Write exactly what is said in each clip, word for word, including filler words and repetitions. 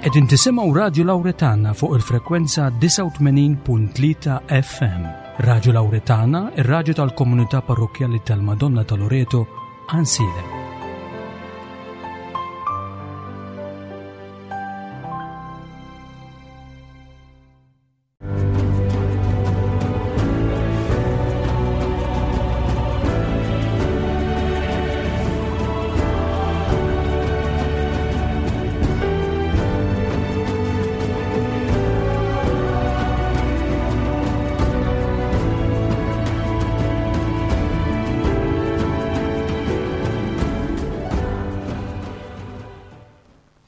Qegħdin tisimgħu Radju Lawretana fuq il-frekwenza disgħa u tmenin punt tlieta F M. Radju Lawretana, ir-radju tal-komunità parrokkjali tal-Madonna ta' Loreto, Għajnsielem.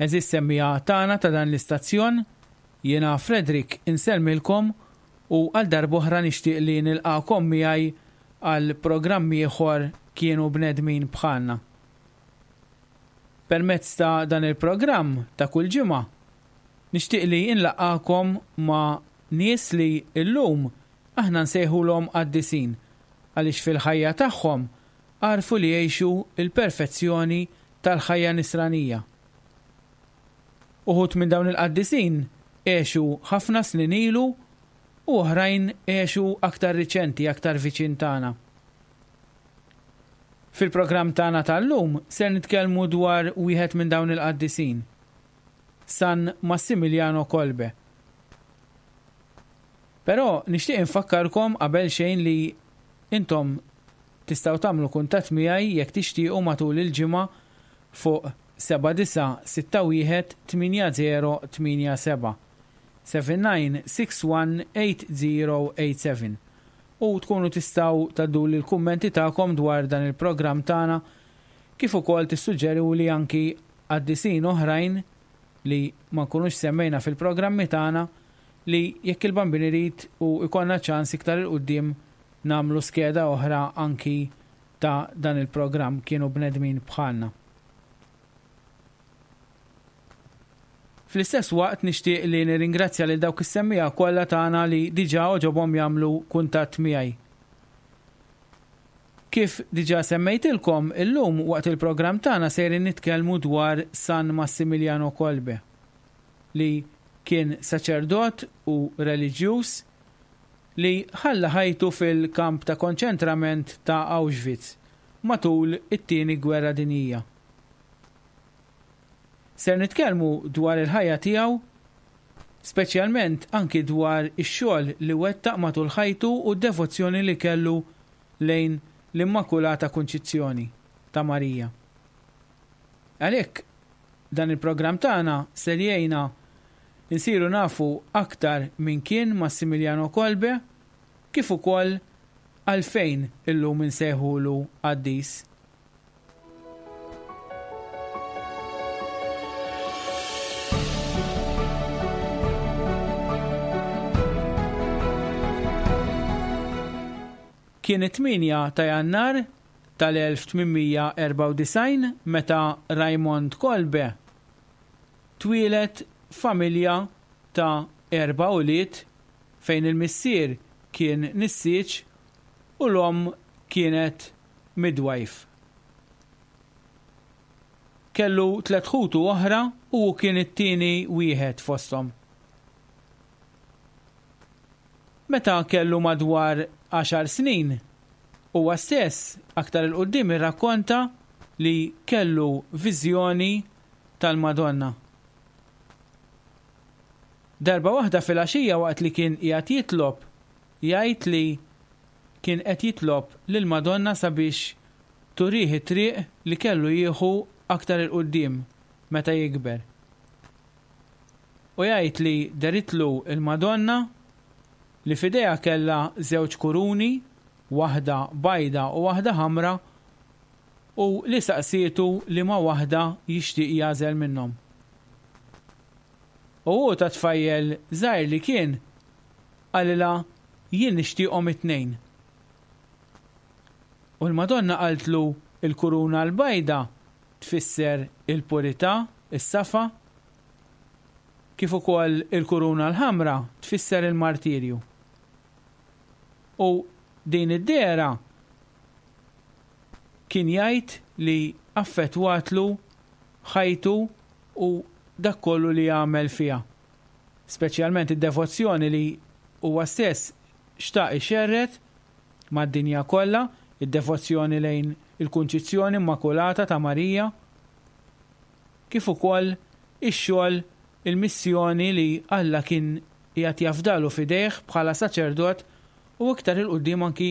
Eżis semmija tagħna ta' dan l-istazzjon, jiena Frederick insellmilkom u għal darb'oħra nixtieq li nilqakom miegħi għal programm ieħor Kienu Bnedmin Bħalna. Permezz ta' dan il-programm ta' kull ġimgħa, nixtieq li nlaqgħakom ma' nies li llum aħna nsejħulhom qaddisin għaliex fil-ħajja tagħhom għarfu li jgħixu il-perfezzjoni tal-ħajja nisranija. Uħud minn dawn il-qaddisin għexu ħafna snin ilu u oħrajn għexu aktar riċenti, aktar viċin tagħna. Fil-programm tagħna tal-lum ser nitkellmu dwar wieħed minn dawn il-qaddisin, San Massimiliano Kolbe. Però nixtieq infakkarkom qabel xejn li intom tistgħu tagħmlu kuntatt miegħi jekk tixtiequ matul il-ġimgħa fuq seba' disa' sitta wieħed tmienja zero tmienja seba', seven nine six one eight zero eight seven. U tkunu tistgħu tgħadduli l-kummenti tagħkom dwar dan il-programm tagħna, kif ukoll tissuġġeruli anki qaddisin oħrajn li ma nkunux semmejna fil-programmi tagħna li jekk il-Bambin irid u jkollna ċans iktar il-quddiem nagħmlu skeda oħra anki ta' dan il-programm Kienu Bnedmin Bħalna. Fl-istess waqt nixtieq li nirringrazzja lil dawk is-semmiegħa kollha tagħna li diġà għoġobhom jagħmlu kuntatt miegħi. Kif diġà semmejtilkom, illum waqt il-programm tagħna sejrin nitkellmu dwar San Massimiliano Kolbe, li kien saċerdot u reliġjuż li ħalla ħajtu fil-kamp ta' konċentrament ta' Auschwitz matul it-tieni gwerra dinjija. Ser nitkellmu dwar il-ħajja tiegħu, speċjalment anki dwar ix-xogħol li wettaq matul ħajtu u d-devozzjoni li kellu lejn l-Immakulata Kunċizzjoni ta' Marija. Għalhekk dan il-programm tagħna ser jgħinna nsiru nafu aktar min kien Massimiliano Kolbe, kif ukoll għalfejn illum insejħulu qaddis. Kien it-tmienja ta' Jannar tal-elf tmien erba' u disgħin meta Raymond Kolbe twieled familja ta' erba' ulied fejn il-missier kien nissieġ u l-omm kienet midwife. Kellu tliet ħutu oħra u hu kien it-tieni wieħed fosthom. Meta kellu madwar għaxar snin, huwa stess aktar il quddiem irrakkonta li kellu viżjoni tal-Madonna. Darba waħda fil-għaxija waqt li kien qiegħed jitlob, jgħid li kien qed jitlob lill-Madonna sabiex turih it-triq li kellu jieħu aktar il quddiem meta jikber. U jgħid li deritlu il-Madonna li f'idejha kellha żewġ kuruni, waħda bajda u waħda ħamra, u li saqsietu li ma waħda jixtieq jagħżel minnhom. U hu ta' tfajjel żgħir li kien, qalilha jien nixtieqhom it-tnejn. U l-Madonna qaltlu il-kuruna l-bajda tfisser il-purità, is-safa, kif ukoll il-kuruna l-ħamra tfisser il-martirju. U din id-dehra kien jgħid li affettwatlu ħajtu u dak kollu li għamel fiha. Speċjalment id-devozzjoni li huwa stess xtaq ixerred mad-dinja kollha, id-devozzjoni lejn il-Kunċizzjoni Immakulata ta' Marija, kif ukoll ix-xogħol, il-missjoni li Alla kien qiegħed jafdalu f'idejh bħala saċerdot u iktar 'il quddiem anki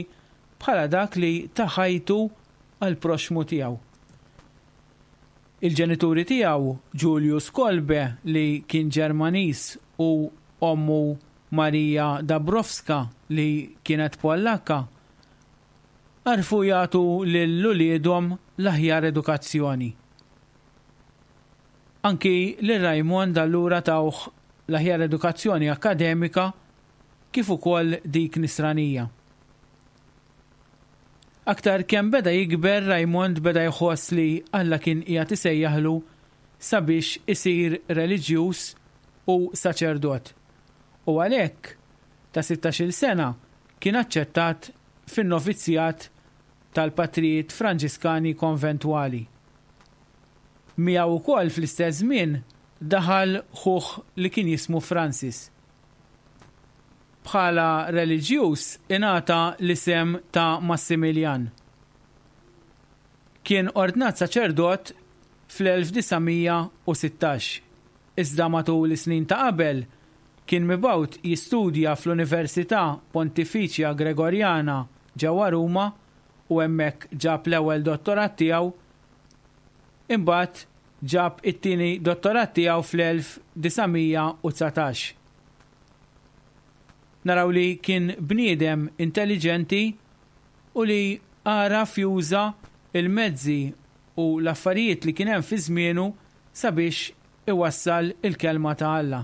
bħala dak li ta ħajtu għall-proxxmu tiegħu. Il-ġenituri tiegħu, Julius Kolbe li kien Ġermaniż u ommu Marija Dabrowska li kienet Pollakka, għarfu jagħtu lil uliedhom l-aħjar edukazzjoni. Anki lil Raymond allura tawh l-aħjar edukazzjoni akkademika kif ukoll dik nisranija. Aktar kemm beda jikber, Raymond beda jħoss li Alla kien qiegħed isejjaħlu sabiex isir reliġjuż u saċerdot. U għalhekk ta' sittax-il sena kien aċċettat fin-novizzjat tal-patrijiet Franġiskani konventwali. Miegħu wkoll fl-istess żmien daħal ħuh li kien jismu Francis. Bħala reliġjuż ingħata l-isem ta' Massimilian. Kien ordnat saċerdot fl-elf disa' mija u sittax, iżda matul is-snin ta' qabel kien mibgħut jistudja fl-Università Pontificia Gregoriana ġewwa Ruma u hemmhekk ġab l-ewwel dottorat tiegħu. Imbagħad ġab it-tieni dottorat tiegħu fl-elf disa' mija u dsatax. Naraw li kien bniedem intelligenti u li għaraf juża il-mezzi u l-affarijiet li kien hemm fi żmienu sabiex iwassal il-kelma ta' Alla.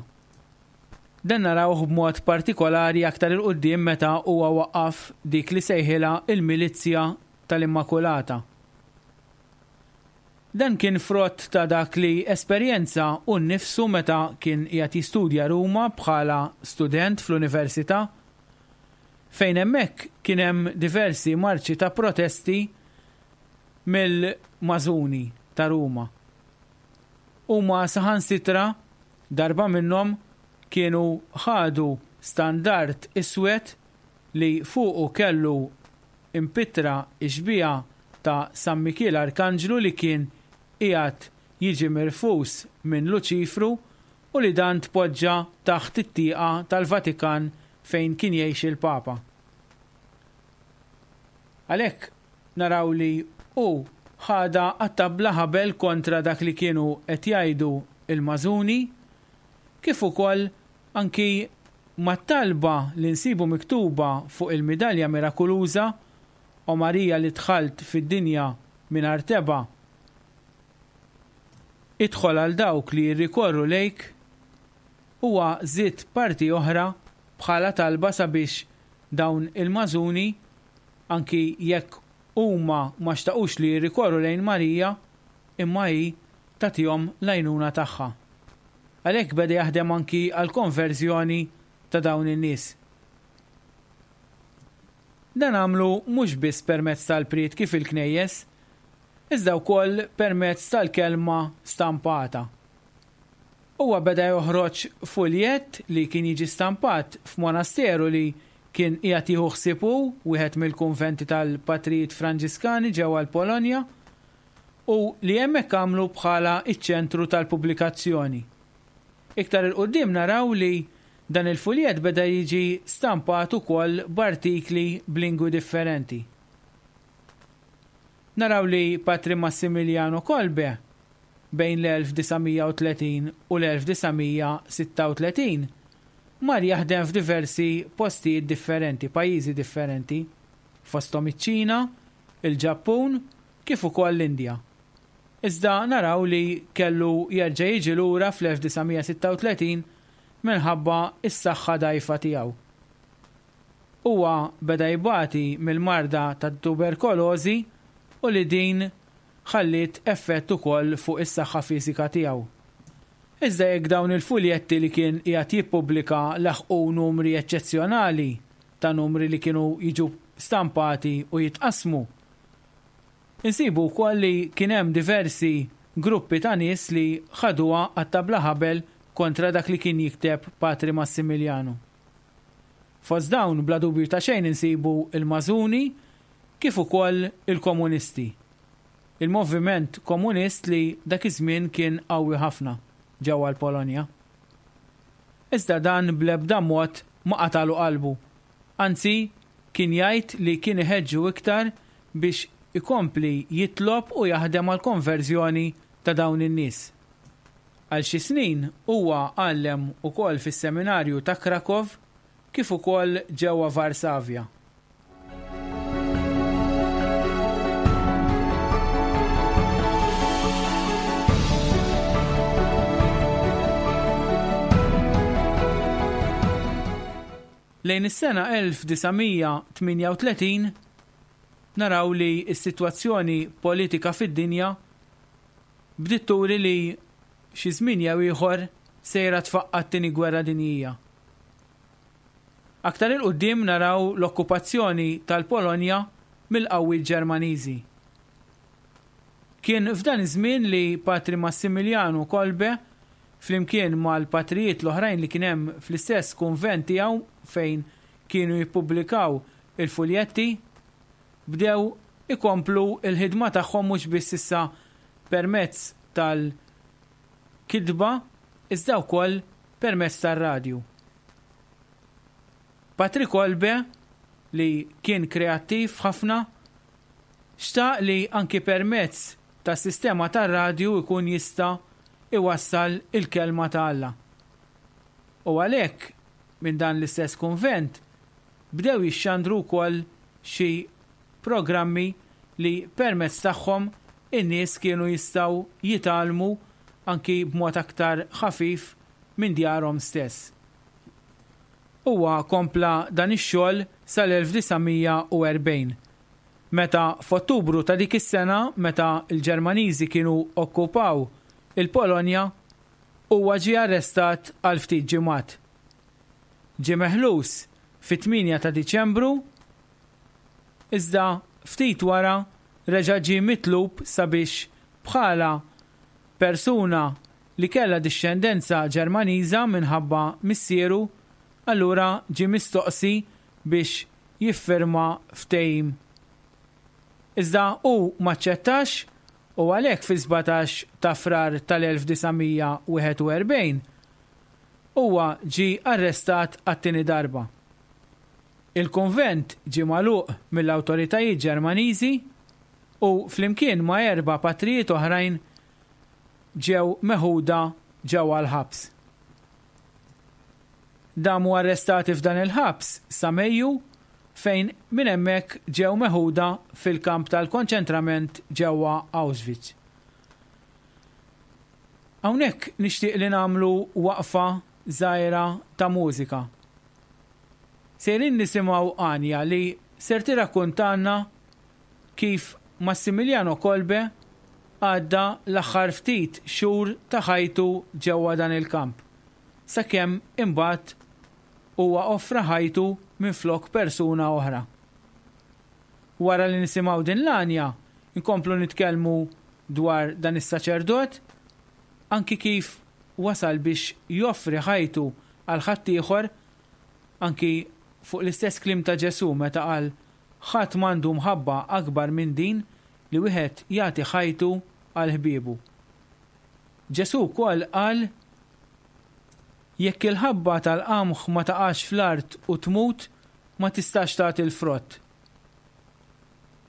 Dan narawh b'mod partikolari aktar il quddiem meta huwa waqqaf dik li sejħilha il-Milizzja tal-Immakulata. Dan kien frott ta' dak li esperjenza u nnifsu meta kien qiegħed jistudja Ruma bħala student fl-università, fejn hemmhekk kien hemm diversi marċi ta' protesti mill-mażuni ta' Ruma. Huma saħansitra darba minnhom kienu ħadu standard iswed li fuqu kellu impitra ixbija ta' San Mikiel Arkanġlu li kien qiegħed jiġi mirfus minn Luċifru u li dan tpoġġa taħt it-tieqa tal-Vatikan fejn kien jgħix il-Papa. Għalhekk naraw li hu ħada għat-tabla ħabel kontra dak li kienu qed jgħidu il-mażuni, kif ukoll anki mat-talba li nsibu miktuba fuq il-midalja mirakuluża o Marija li dħalt fid-dinja mingħajr tebgħa, idħol għal dawk li jirrikorru lejk, huwa żied parti oħra bħala talba sabiex dawn il-mażuni, anki jekk huma ma xtaqux li jirrikorru lejn Marija, imma hi tagħtihom l-għajnuna tagħha. Għalhekk beda jaħdem anki għal konverżjoni ta' dawn in-nies. Dan għamlu mhux biss permezz tal-prietki fil-knejjes, iżda wkoll permezz tal-kelma stampata. Huwa beda joħroġ fuljett li kien jiġi stampat f'monasteru li kien qiegħed jieħu ħsieb hu, wieħed mill-kunventi tal-Patrijiet Franġiskani ġewwa l-Polonja, u li hemmhekk għamlu bħala iċ-ċentru tal-pubblikazzjoni. Iktar il-qudiem naraw li dan il-fuljett beda jiġi stampat ukoll b'artikli b'lingwi differenti. Naraw li Patri Massimiliano Kolbe bejn l-elf disa' mija u tletin u l-elf disa' mija sitta u tletin mar jaħdem f'diversi postijiet differenti, pajjiżi differenti, fosthom iċ-Ċina, il-Ġappun, kif ukoll l-Indja. Iżda naraw li kellu jerġa' jiġi lura fl-elf disa' mija sitta u tletin minħabba s-saħħa dgħajfa tiegħu. Huwa beda jbati mill-marda tat-tuberkolożi u li din ħalliet effett ukoll fuq is-saħħa fiżika tiegħu. Iżda jekk dawn il-fuljetti li kien qiegħed jippubblika laħqu numri eċċezzjonali ta' numri li kienu jiġu stampati u jitqasmu, insibu wkoll li kien hemm diversi gruppi ta' nies li ħaduha qatta' bla ħabel kontra dak li kien jikteb Patri Massimiliano. Fost dawn bla dubju ta' xejn insibu il-Mażuni kif ukoll il-Komunisti. Il-moviment komunist li dak iż-żmien kien qawwi ħafna ġewwa l-Polonja. Iżda dan bl-ebda mod ma qatalu qalbu. Anzi, kien jgħid li kien iħeġġu iktar biex ikompli jitlob u jaħdem għal konverżjoni ta' dawn in-nies. Għal xi snin huwa għallem ukoll fis-seminarju ta' Krakow kif ukoll ġewwa Varsavja. Lejn is-sena elf disa' mija tmienja u tletin naraw li s-sitwazzjoni politika fid-dinja bdiet turi li xi żmien jew ieħor sejra tfaqqa' t-tieni gwerra dinjija. Aktar il quddiem naraw l-okkupazzjoni tal-Polonja mill-qawwiet Ġermaniżi. Kien f'dan iż-żmien li Patri Massimiliano Kolbe flimkien mal-patrijiet l-oħrajn li kien hemm fl-istess kunvent tiegħu fejn kienu jippubblikaw il-fuljetti, bdew ikomplu l-ħidma tagħhom mhux biss issa permezz tal-kitba iżda wkoll permezz tar-radju. Patri Kolbe, li kien kreattiv ħafna, xtaq li anki permezz tas-sistema tar-radju jkun jista' iwassal il-kelma ta' Alla. U għalhekk minn dan l-istess kunvent bdew jixxandru wkoll xi programmi li permezz tagħhom in-nies kienu jistgħu jitgħallmu anki b'mod aktar ħafif minn djarhom stess. Huwa kompla dan ix-xogħol sal-elf disa' mija u erbgħin, meta f'Ottubru ta' dik is-sena, meta l-Ġermaniżi kienu okkupaw il-Polonja, huwa ġie arrestat għal ftit ġimgħat. Ġie meħlus fit-tmienja ta' Diċembru, iżda ftit wara reġa' ġie mitlub sabiex bħala persuna li kellha dixxendenza Ġermaniża minħabba missieru, allura ġie mistoqsi biex jiffirma ftehim. Iżda hu m'aċċettax u għalhekk fi-sbatax ta' Frar tal-elf disa' mija wieħed u erbgħin huwa ġie arrestat għat-tieni darba. Il-kunvent ġie magħluq mill-awtoritajiet Ġermaniżi u flimkien ma' erba' patrijiet oħrajn ġew meħuda ġewwa l-ħabs. Damu arrestati f'dan il-ħabs sa Mejju fejn minn hemmhekk ġew meħuda fil-kamp tal-konċentrament ġewwa Auschwitz. Hawnhekk nixtieq li nagħmlu waqfa żgħira ta' mużika. Sejrin nisimgħu Anja li ser tirrakkuntanna kif Massimiliano Kolbe għadda l-aħħar ftit xhur ta' ħajtu ġewwa dan il-kamp, sakemm imbagħad huwa offra ħajtu minflok persuna oħra. Wara li nisimgħu din l-għanja, inkomplu nitkellmu dwar dan is-saċerdot, anki kif wasal biex joffri ħajtu għal ħaddieħor, anki fuq l-istess kliem ta' Ġesù meta qal ħadd m'għandu mħabba akbar minn din li wieħed jagħti ħajtu għal ħbiebu. Ġesù wkoll qal jekk il-ħabba tal-qamħ ma taqax fl-art u tmut, ma tistax tagħti l-frott.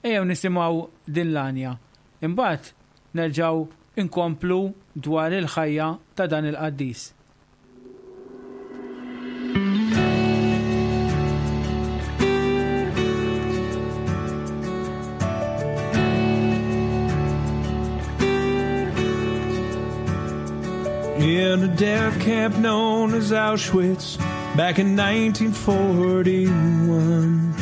Ejjew nisimgħu din l-għanja. Imbagħad nerġgħu inkomplu dwar il-ħajja ta' dan il-qaddis. In a death camp known as Auschwitz back in nineteen forty-one,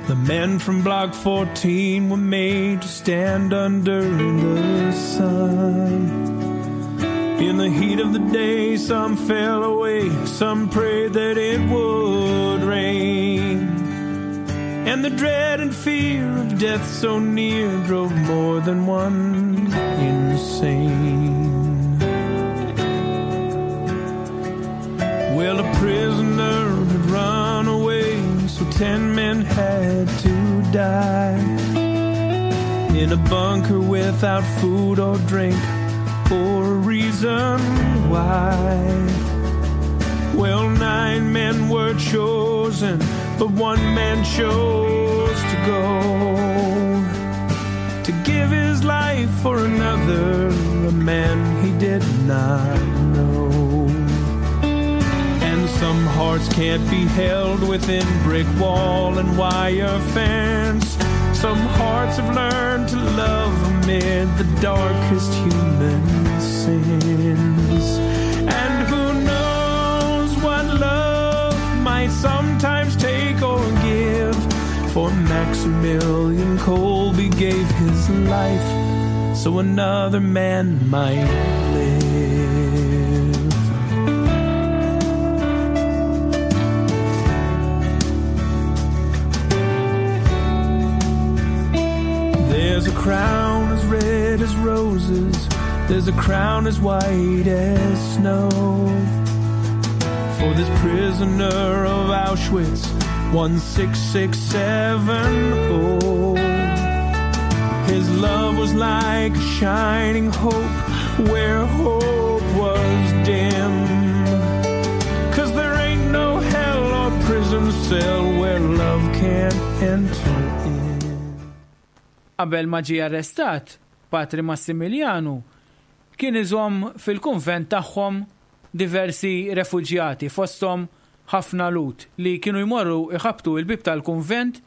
the men from Block fourteen were made to stand under the sun. In the heat of the day, some fell away, some prayed that it would rain. And the dread and fear of death so near drove more than one insane. Well, a prisoner had run away, so ten men had to die in a bunker without food or drink or a reason why. Well, nine men were chosen, but one man chose to go, to give his life for another, a man he did not know. And some hearts can't be held within brick wall and wire fence. Some hearts have learned to love amid the darkest human sins. And who knows what love might sometimes take or give. For Maximilian Kolbe gave his life so another man might live. There's a crown as red as roses, there's a crown as white as snow, for this prisoner of Auschwitz, one six six seven oh. His love was like a shining hope where hope was dim, 'cause there ain't no hell or prison cell where love can't enter in. Qabel ma ġie arrestat, Patri Massimilianu kien iżomm fil-kunvent tagħhom diversi refuġjati, fosthom ħafna Lhud li kienu jmorru iħabtu il-bib tal-kunvent,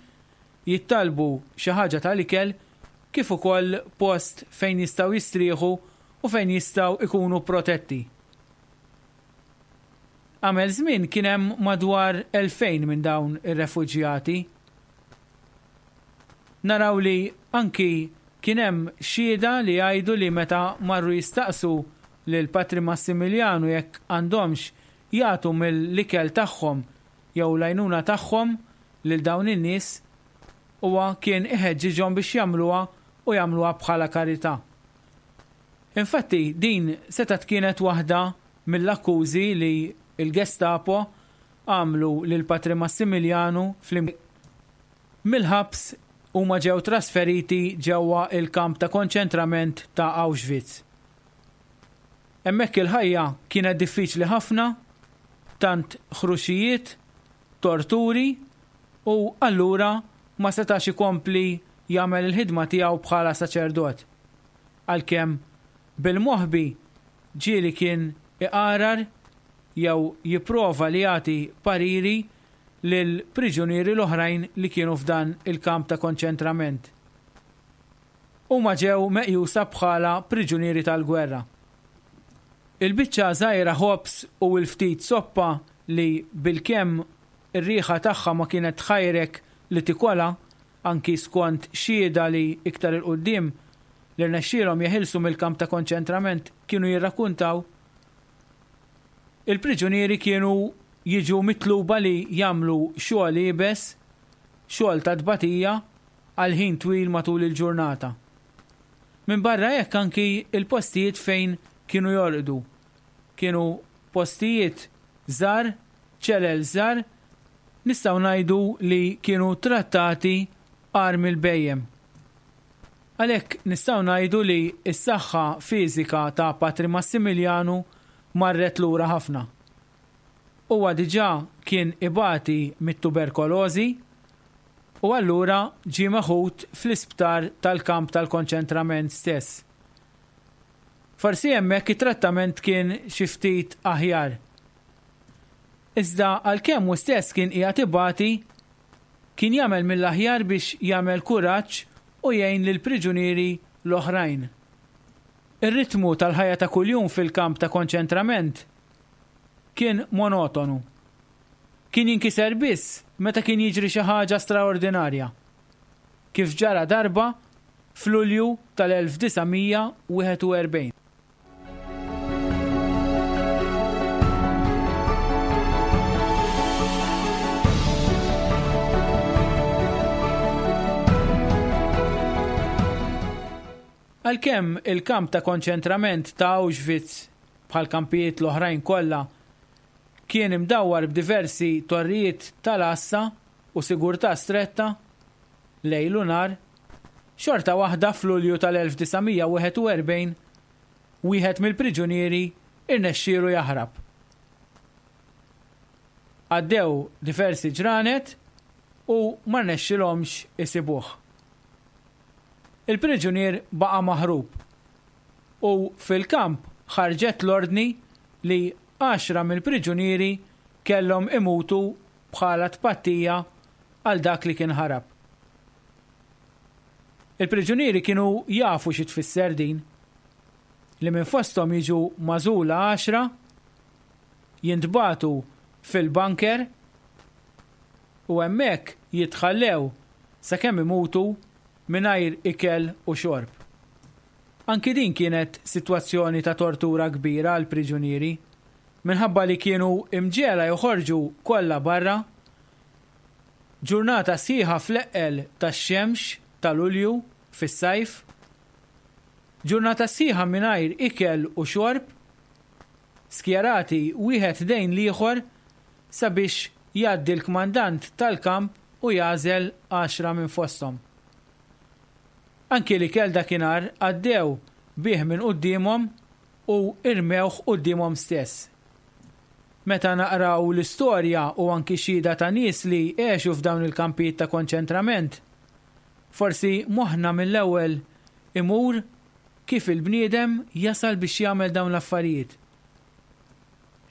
jittalbu xi ħaġa tal-ikel, kif ukoll post fejn jistgħu jistrieħu u fejn jistgħu ikunu protetti. Għamel żmien kien hemm madwar elfejn minn dawn ir-refuġjati. Naraw li anki kien hemm xhieda li jgħidu li meta marru jistaqsu lil Patri Massimilianu jekk għandhomx jagħtu mill-ikel tagħhom jew l-għajnuna tagħhom lil dawn in-nies, huwa kien iħeġġiġhom biex jagħmluha u jagħmluha bħala karità. Infatti din setgħet kienet waħda mill-akkużi li l-Gestapo għamlu lil Patri Massimilianu fl mill-ħabs huma ġew trasferiti ġewwa il-kamp ta' konċentrament ta' Auschwitz. Hemmhekk il-ħajja kienet diffiċli ħafna, tant ħruxijiet, torturi, u allura ma setax ikompli jagħmel il-ħidma tiegħu bħala saċerdot. Għalkemm bil-moħbi ġieli kien iqarar jew jipprova li jagħti pariri lil priġunieri l-oħrajn li kienu f'dan il-kamp ta' konċentrament. Huma ġew meqjusa bħala priġunieri tal-gwerra. Il-biċċa żgħira ħobs u l-ftit soppa li bilkemm ir-riħa tagħha ma kienet tħajrek li tikola, anki skont xhieda li iktar il-qudiem li rnexxielhom jeħilsu mill-kamp ta' konċentrament kienu jirrakkuntaw, il-priġunieri kienu jiġu mitluba li jagħmlu xogħol iebes, xogħol ta' tbatija għal ħin twil matul il-ġurnata. Minn barra hekk anki il-postijiet fejn kienu jorqdu. Kienu postijiet żgħar, ċelel żgħar, nistgħu ngħidu li kienu trattati agħar mill-bejjem. Għalhekk nistgħu ngħidu li s-saħħa fiżika ta' Patri Massimilianu marret lura ħafna. Huwa diġà kien ibati mit-tuberkolożi u allura ġie meħud fl-isptar tal-kamp tal-konċentrament stess. Forsi hemmhekk it-trattament kien xi ftit aħjar. Iżda għalkemm hu stess kien qiegħed ibati, kien jagħmel mill-aħjar biex jagħmel kuraġġ u jgħin lill-priġunieri l-oħrajn. Ir-ritmu tal-ħajja ta' kuljum fil-kamp ta' konċentrament kien monotonu. Kien jinkiser biss meta kien jiġri xi ħaġa straordinarja, kif ġara darba f'Lulju tal-elf disa' mija wieħed u erbgħin. Għalkemm il-kamp ta' konċentrament ta' Auschwitz bħal kampijiet l-oħrajn kollha kien imdawwar b'diversi torrijiet tal-għassa u sigurtà stretta lejl u nhar, xorta waħda f'Lulju tal-elf disa' mija wieħed u erbgħin wieħed mill-priġunieri irnexxielu jaħrab. Għaddew diversi ġranet u ma rnexxilhomx isibuh. Il-priġunier baqa' maħrub u fil-kamp ħarġet l-ordni li għaxra mill-priġunieri kellhom imutu bħala tpattija għal dak li kien ħarab. Il-priġunieri kienu jafu xi tfisser din, li minn fosthom jiġu magħżula għaxra, jintbagħtu fil-bunker u hemmhekk jitħallew sakemm imutu mingħajr ikel u xorb. Anki din kienet sitwazzjoni ta' tortura kbira għal priġunieri, minħabba li kienu imġiegħla joħorġu kollha barra, ġurnata sħiħa fl-eqqel tax-xemx ta' Lulju fis-sajf, ġurnata sħiħa mingħajr ikel u xorb, skjerati wieħed dejn l-ieħor sabiex jgħaddi l-kmandant tal-kamp u jagħżel għaxra minn fosthom. Anki li kell dakinhar għaddew bih minn quddiemhom u irmewh quddiemhom stess. Meta naqraw l-istorja u anki xhieda ta' nies li għexu f'dawn il-kampijiet ta' konċentrament, forsi moħħna mill-ewwel imur kif il-bniedem jasal biex jagħmel dawn l-affarijiet.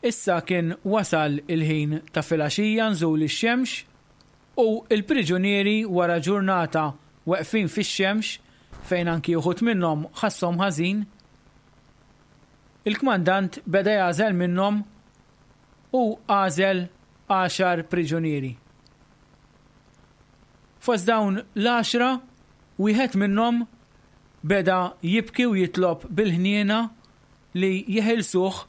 Issa kien wasal il-ħin ta' filgħaxija nżul ix-xemx u l-priġunieri wara ġurnata weqfin fix-xemx fejn anki uħud minnhom ħasshom ħażin, il-kmandant beda jagħżel minnhom u għażel għaxar priġunieri. Fost dawn l-għaxra, wieħed minnhom beda jibki u jitlob bil-ħniena li jeħilsuh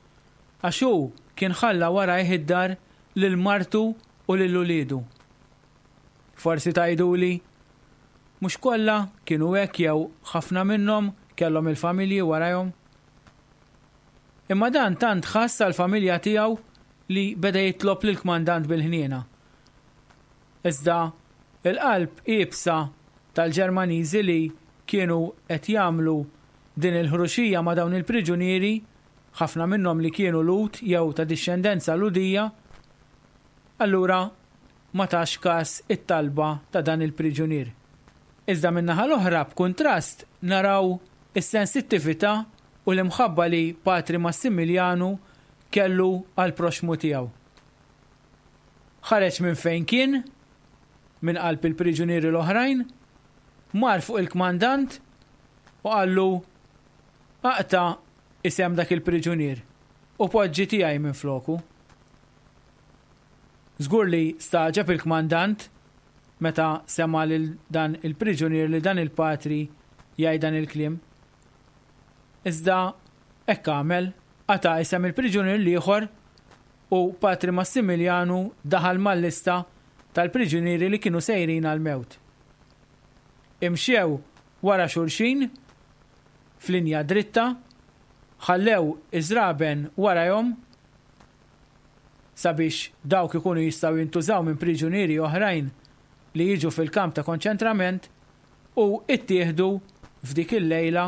għax hu kien ħalla warajh id-dar lil martu u lil uliedu. Forsi tgħiduli, mhux kollha kienu hekk jew ħafna minnhom kellhom il-familji warajhom. Imma dan tant ħass għall-familja tiegħu li beda jitlob lill-kmandant bil-ħniena. Iżda il-qalb iebsa tal-Ġermaniżi li kienu qed jagħmlu din il-ħruxija ma' dawn il-priġunieri, ħafna minnhom li kienu Lhud jew ta' dixxendenza Lhudija, allura ma tax każ it-talba ta' dan il-priġunier. Iżda min-naħa l-oħra b'kuntrast naraw is-sensittività u l-imħabba li Patri Massimiljanu kellu għal proxmu tiegħu. Ħareġ minn fejn kien, minn qalb il-priġunieri l-oħrajn, mar fuq il-kmandant u qallu aqta' isem dak il-priġunier u poġġi tiegħi minn floku. Żgur li staġab il-kmandant meta sema lil dan il-priġunier li dan il-patri jgħid dan il-kliem. Iżda hekk għamel, qata' isem il-priġunier l-ieħor u Patri Massimiljanu daħal mal-lista tal-priġunieri li kienu sejrin għal-mewt. Imxew wara xulxin f'linja dritta, ħallew iż-żraben warajhom sabiex dawk ikunu jistgħu jintużaw minn priġunieri oħrajn li jiġu fil-kamp ta' konċentrament u ittieħdu f'dik il-lejla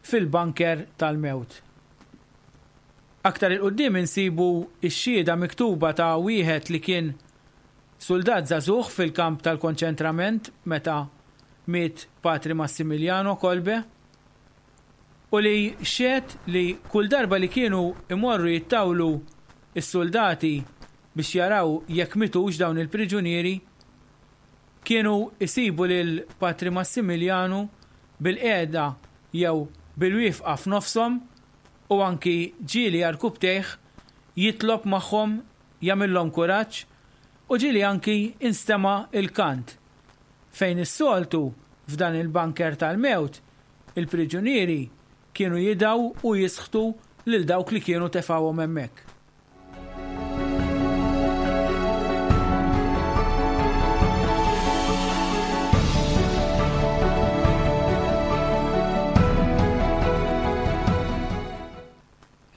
fil-bunker tal-mewt. Aktar il-qudiem insibu x-xhieda miktuba ta' wieħed li kien soldat żagħżugħ fil-kamp tal-konċentrament meta miet Patri Massimiljano Kolbe u li xehed li kull darba li kienu imorru jittawlu s-soldati biex jaraw jekk mitux dawn il-priġunieri, kienu isibu lil Patri Massimiljanu bil-qiegħda jew bil-wifqa f'nofshom u anki ġieli għarkupptejh jitlob magħhom, jagħmilhom kuraġġ u ġieli anki instema' il-kant fejn is-soltu f'dan il-bunker tal-mewt il-priġunieri kienu jidaw u jisħtu lil dawk li kienu tefgħuhom hemmhekk.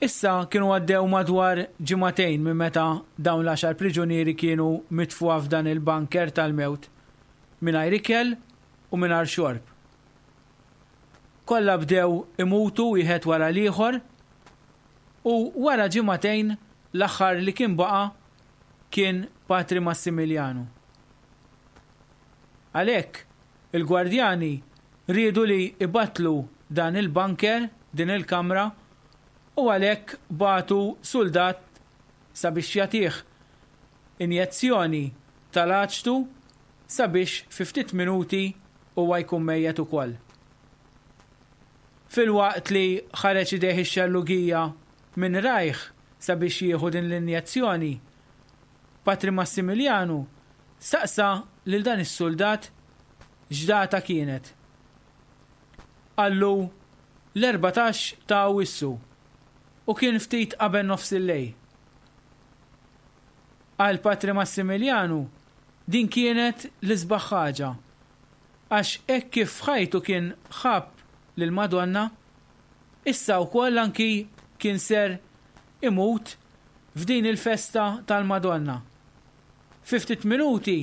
Issa kienu għaddew madwar ġimagħtejn minn meta dawn l-għaxar priġunieri kienu mitfugħa f'dan il-bunker tal-mewt, mingħajr ikel u mingħajr xorb. Kollha bdew imutu wieħed wara l-ieħor u wara ġimagħtejn l-aħħar li kien baqa' kien Patri Massimiliano. Għalhekk il-gwardjani riedu li ibatlu dan il-bunker, din il-kamra, u għalhekk bagħtu suldat sabiex jagħtih injezzjoni tal-aċtu sabiex fi ftit minuti huwa jkun mejjet ukoll. Filwaqt li ħareġ idejh ix-xellugija minn rajh sabiex jieħu din l-injezzjoni, Patri Massimiliano staqsa lil dan is-suldat x'data kienet. Qallu l-erbatax ta' Awwissu u kien ftit qabel nofs il-lejl. Għal Patri Massimiliano din kienet l-isbaħ ħaġa, għax hekk kif f'ħajtu kien ħabb lil Madonna, issa wkoll anki kien ser imut f'din il-festa tal-Madonna. Fi ftit minuti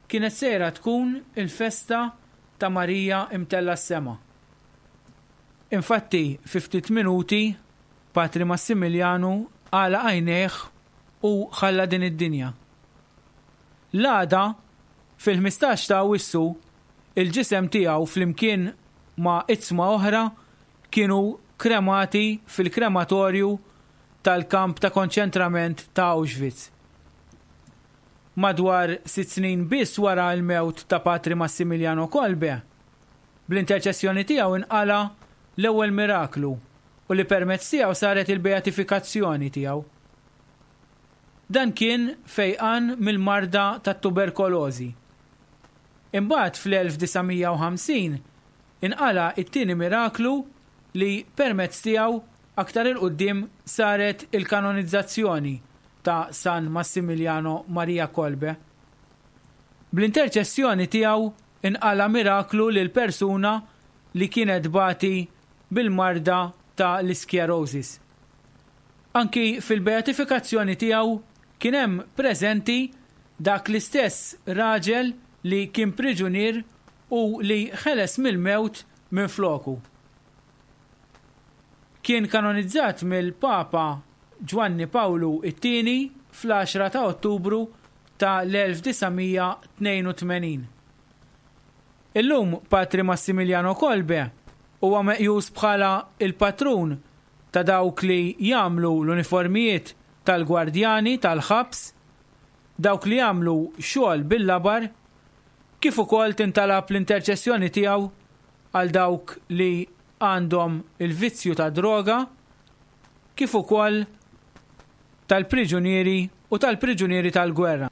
kienet sejra tkun il-festa ta' Marija imtella s-sema. Infatti, fi ftit minuti Patri Massimiliano għalaq għajnejh u ħalla din id-dinja. L-għada, fil-ħmistax ta' Awwissu, il-ġisem tiegħu flimkien ma' itzma oħra kienu kremati fil-krematorju tal-kamp ta' konċentrament ta' Auschwitz. Madwar sitt snin biss wara l-mewt ta' Patri Massimiliano Kolbe, bl-interċessjoni tiegħu inqala l-ewwel miraklu u li permezz tiegħu saret il-beatifikazzjoni tiegħu. Dan kien fejqan mill-marda tat-tuberkolożi. Imbagħad fl-elf disa' mija u ħamsin inqala it-tieni miraklu li permezz tiegħu aktar il-qudiem saret il-kanonizzazzjoni ta' San Massimiliano Maria Kolbe. Bl-interċessjoni tiegħu inqala miraklu lil persuna li kienet bati bil-marda ta' l-isklerosis. Anki fil-beatifikazzjoni tiegħu kien hemm preżenti dak l-istess raġel li kien priġunier u li ħeles mill-mewt minn floku. Kien kanonizzat mill-Papa Ġwanni Pawlu it-tieni fl-għaxra ta' Ottubru ta' l-elf disa' mija tnejn u tmenin. Illum Patri Massimiliano Kolbe huwa meqjus bħala il-patrun ta' dawk li jagħmlu l-uniformijiet tal-gwardjani tal-ħabs, dawk li jagħmlu xogħol bil-labar, kif ukoll tintalab l-interċessjoni tiegħu għal dawk li għandhom il-vizzju ta' droga, kif ukoll tal-priġunieri u tal-priġunieri tal-gwerra.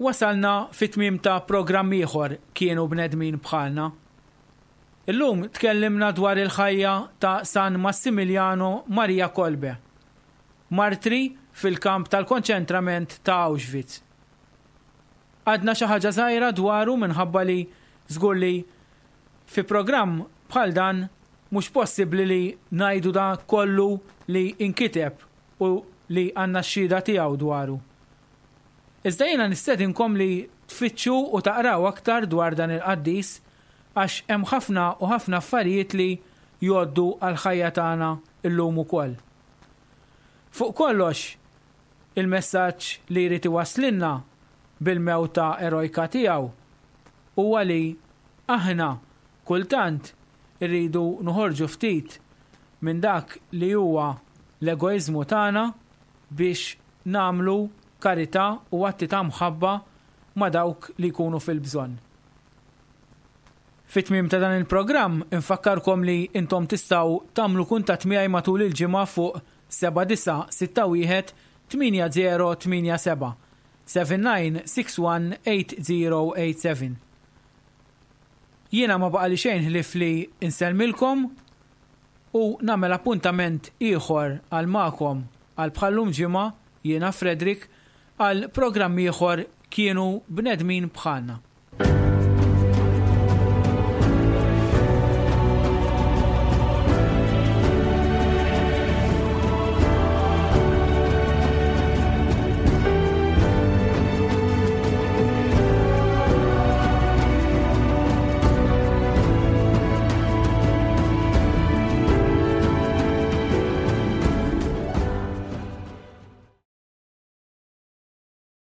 Wasalna fit-tmiem ta' programm ieħor Kienu Bnedmin Bħalna. Illum tkellimna dwar il-ħajja ta' San Massimiliano Maria Kolbe, martri fil-kamp tal-konċentrament ta' Auschwitz. Għadna xi ħaġa żgħira dwaru minħabba li żgur li fi programm bħal dan mhux possibbli li ngħidu da kollu li inkiteb u li għandna x-xhieda tiegħu dwaru. Iżda jiena nistedinkom li tfittxu u taqraw aktar dwar dan il-qaddis għax hemm ħafna u ħafna affarijiet li jgħoddu għall-ħajja tagħna illum ukoll. Fuq kollox, il-messaġġ li jrid iwasslilna bil-mewta erojka tiegħu huwa li aħna kultant irridu noħorġu ftit minn dak li huwa l-egoiżmu tagħna biex nagħmlu karità u atti ta' mħabba ma' dawk li jkunu fil-bżonn. Fit-tmiem ta' dan il-programm infakkarkom li intom tistgħu tagħmlu kuntatt miegħi matul il-ġimgħa fuq seba' disa' sitta wieħed tmienja zero tmienja seba', seven nine six one eight zero eight seven. Jiena ma baqali xejn ħlief li insellmilkom u nagħmel appuntament ieħor għal magħkom għal bħallum ġimgħa Jiena Frederick għal programm ieħor Kienu Bnedmin Bħalna.